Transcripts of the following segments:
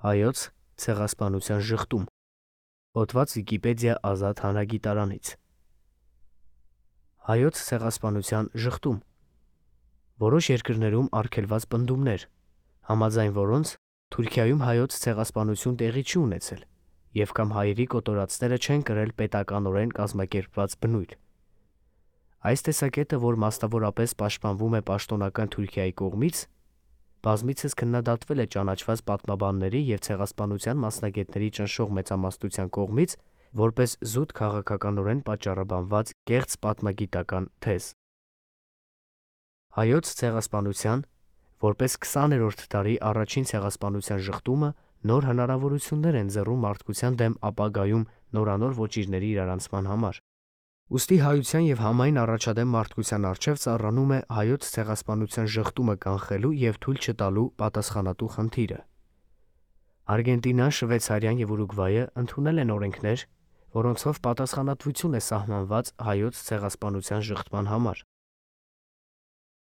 Հայոց ցեղասպանության ժխտում։ Հոդված Վիկիպեդիա ազատ հանրագիտարանից։ Հայոց ցեղասպանության ժխտում։ Որոշ երկրներում արգելված պնդումներ, համաձայն որոնց Թուրքիայում հայոց ցեղասպանություն տեղի չի ունեցել, եւ կամ հայերի կոտորածները չեն կրել պետականորեն կազմակերպված բնույթ։ Այս տեսակետը, որ մասնավորապես պաշտպանվում է պաշտոնական Թուրքիայի կողմից, բազմիցս քննադատվել է ճանաչված պատմաբանների եւ ցեղասպանության մասնագետների ճնշող մեծամասնության կողմից որպես զուտ քաղաքականորեն պատճառաբանված կեղծ պատմագիտական թեզ։ Հայոց ցեղասպանության որպես 20-րդ դարի առաջին ցեղասպանության ժխտումը նոր հնարավորություններ են ձեռում մարդկության դեմ ապագայում նորանոր ոճիրների իրարանցման համար։ Ուստի հայության եւ համայն առաջադեմ մարդկության առջև ծառանում է հայոց ցեղասպանության ժխտումը կանխելու եւ թույլ չտալու պատասխանատու խնդիրը։ Արգենտինան, Շվեյցարիան եւ Ուրուգվայը ընդունել են օրենքներ, որոնցով պատասխանատվություն է սահմանված հայոց ցեղասպանության ժխտման համար։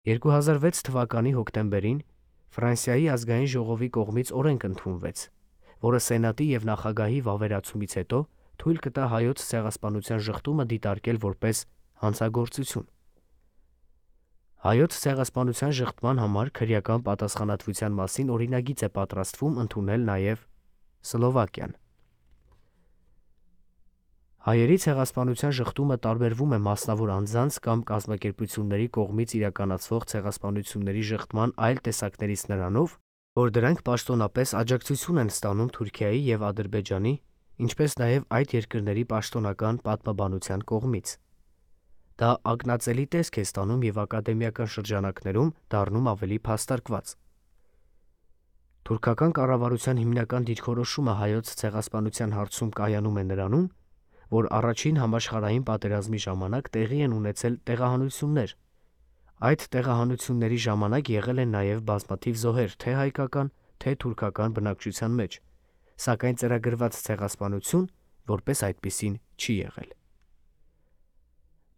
2006 թվականի հոկտեմբերին Ֆրանսիայի ազգային ժողովի կողմից օրենք ընդունվեց, որը սենատի եւ նախագահի վավերացումից հետո թույլ կտա հայոց ցեղասպանության ժխտումը դիտարկել որպես հանցագործություն։ Հայոց ցեղասպանության ժխտման համար քրեական պատասխանատվության մասին օրինագիծ է պատրաստվում ընդունել նաև Սլովակիան։ Հայերի ցեղասպանության ժխտումը տարբերվում է մասնավոր անձանց կամ կազմակերպությունների կողմից իրականացվող ցեղասպանությունների ժխտման այլ տեսակներից նրանով, որ դրանք պաշտոնապես աջակցություն են ստանում Թուրքիայի եւ Ադրբեջանի, ինչպես նաև այդ երկրների պաշտոնական պատմաբանության կողմից։ Դա ակնածելի տեսք է ստանում եւ ակադեմիական շրջանակներում դառնում ավելի փաստարկված։ Թուրքական կառավարության հիմնական դիրքորոշումը հայոց ցեղասպանության հարցում կայանում է նրանում, որ առաջին համաշխարհային պատերազմի ժամանակ տեղի են ունեցել տեղահանություններ։ Այդ տեղահանությունների ժամանակ եղել են նաև բազմաթիվ զոհեր թե հայկական, թե թուրքական բնակչության մեջ, սակայն ծրագրված ցեղասպանություն որպես այդպիսին չի եղել։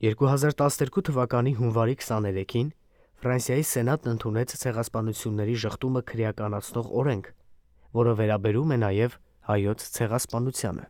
2012 թվականի հունվարի 23-ին Ֆրանսիայի սենատն ընդունեց ցեղասպանությունների ժխտումը քրեականացնող օրենք, որը վերաբերում է նաև հայոց ցեղասպանությանը։